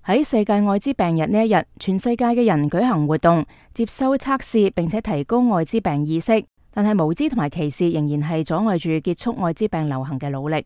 喺世界艾滋病日呢一日，全世界嘅人舉行活動，接收測試，並且提高艾滋病意識。但係無知同埋歧視仍然係阻礙住結束艾滋病流行嘅努力。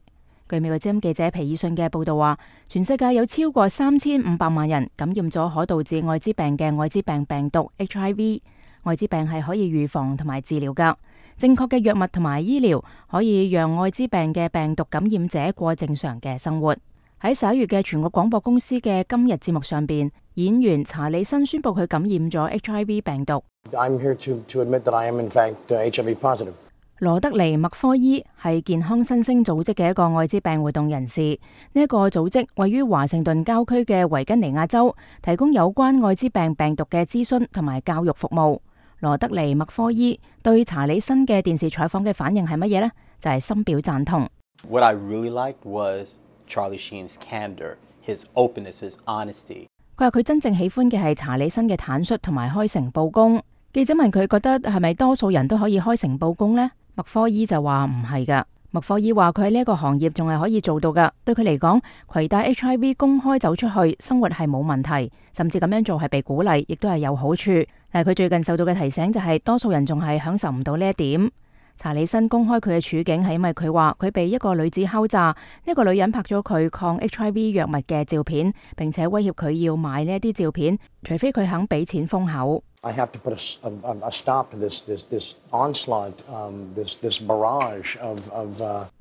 據美國之音記者皮爾遜嘅報道話，全世界有超過3500萬人感染咗可導致艾滋病嘅艾滋病病毒 HIV。艾滋病係可以預防同埋治療㗎，正確嘅藥物同埋醫療可以讓艾滋病嘅病毒感染者過正常嘅生活。喺11月嘅全國廣播公司嘅今日節目上邊，演員查理辛宣布佢感染咗 HIV 病毒。I'm here to admit that I am in fact HIV positive. 羅德尼麥科伊係健康新星組織嘅一個艾滋病活動人士。呢一個組織位於華盛頓郊區嘅維吉尼亞州，提供有關艾滋病病毒嘅諮詢同埋教育服務。羅德尼麥科伊對查理辛嘅電視採訪嘅反應係乜嘢呢？就係深表贊同。What I really liked was Charlie Sheen's candor, his openness, his honesty. 佢話佢真正喜歡嘅係查理辛嘅坦率同埋開誠佈公。記者問佢覺得係咪多數人都可以開誠佈公呢？麥科伊就話唔係噶。麥科伊話佢喺呢一個行業仲係可以做到噶。對佢嚟講，攜帶 HIV 公開走出去，生活係冇問題，甚至咁樣做係被鼓勵，亦都係有好處。但係佢最近受到嘅提醒就係多數人仲係享受唔到呢一點。查理辛公開佢嘅處境係因為佢話佢被一個女子敲詐，一個女人拍咗佢抗 HIV 藥物嘅照片，並且威脅佢要買呢一啲照片，除非佢肯俾錢封口。I have to put a stop to this onslaught, this barrage of.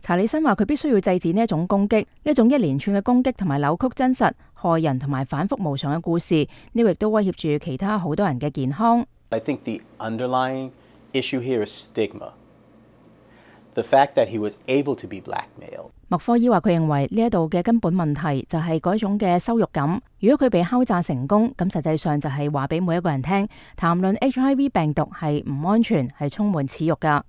查理辛話佢必須要制止呢一種攻擊，呢一種一連串嘅攻擊同埋扭曲真實、害人同埋反覆無常嘅故事，呢個亦都威脅住其他好多人嘅健康。I think the underlying issue here is stigma.The fact that he was able to be blackmailed. 麥科伊話佢認為呢一度嘅根本問題就係嗰種嘅羞辱感。如果佢被敲詐成功，咁實際上就係話俾每一個人聽，談論 HIV 病毒係唔安全，係充滿恥辱噶。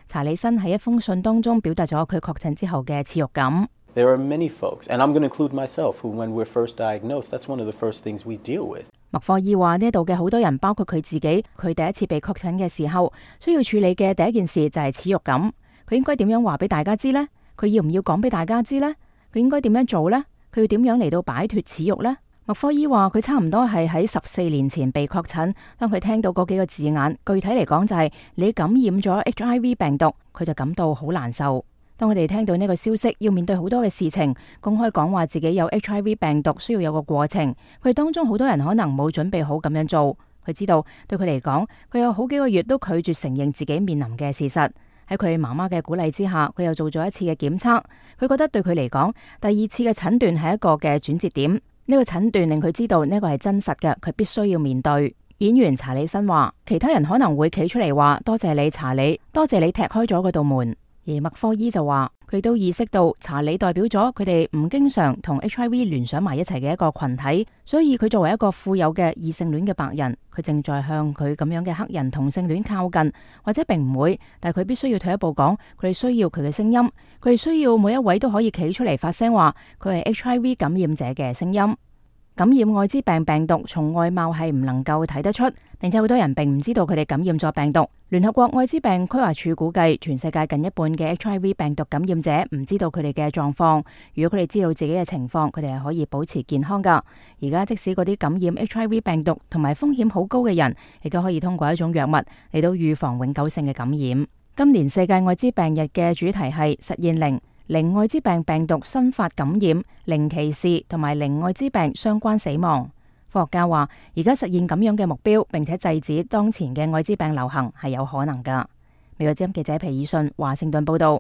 查理辛喺一封信當中表達咗佢確診之後嘅恥辱感。There are many folks, and I'm going to include myself, who when we're first diagnosed, that's one of the first things we deal with. 麥科伊話呢度嘅好多人，包括佢自己，佢第一次被確診嘅時候，需要處理嘅第一件事就係恥辱感。佢應該點樣話俾大家知呢？佢要唔要講俾大家知呢？佢應該點樣做呢？佢要點樣嚟到擺脫恥辱呢？麥科伊話佢差唔多係喺14年前被確診，當佢聽到嗰幾個字眼，具體嚟講就係你感染咗 HIV 病毒，佢就感到好難受。當佢哋聽到呢個消息，要面對好多嘅事情，公開講話自己有 HIV 病毒，需要有個過程。佢哋當中好多人可能冇準備好咁樣做。佢知道對佢嚟講，佢有好幾個月都拒絕承認自己面臨嘅事實。喺佢媽媽嘅鼓勵之下，佢又做咗一次嘅檢測。佢覺得對佢嚟講，第二次嘅診斷係一個嘅轉折點。呢個診斷令佢知道呢個係真實嘅，佢必須要面對。演員查理辛話，其他人可能會企出嚟話多謝你查理，多謝你踢開咗嗰道門。而麥科伊就話，佢都意識到查理代表咗佢哋唔經常同 HIV 聯想埋一齊嘅一個群體，所以佢作為一個富有嘅異性戀嘅白人，佢正在向佢咁樣嘅黑人同性戀靠近，或者並唔會，但係佢必須要退一步講，佢哋需要佢嘅聲音，佢哋需要每一位都可以企出嚟發聲話，佢係 HIV 感染者嘅聲音。感染艾滋病病毒從外貌係唔能夠睇得出，並且好多人並唔知道佢哋感染咗病毒。聯合國艾滋病規劃署估計，全世界近一半嘅 HIV 病毒感染者唔知道佢哋嘅狀況。如果佢哋知道自己嘅情況，佢哋係可以保持健康噶。而家即使嗰啲感染 HIV 病毒同埋風險好高嘅人，亦都可以通過一種藥物嚟到預防永久性嘅感染。今年世界艾滋病日嘅主題係實現零艾滋病病毒新發感染、零歧視同埋零艾滋病相關死亡。科學家話，而家實現咁樣嘅目標，並且制止當前嘅艾滋病流行係有可能噶。美國之音記者皮爾遜華盛頓報道。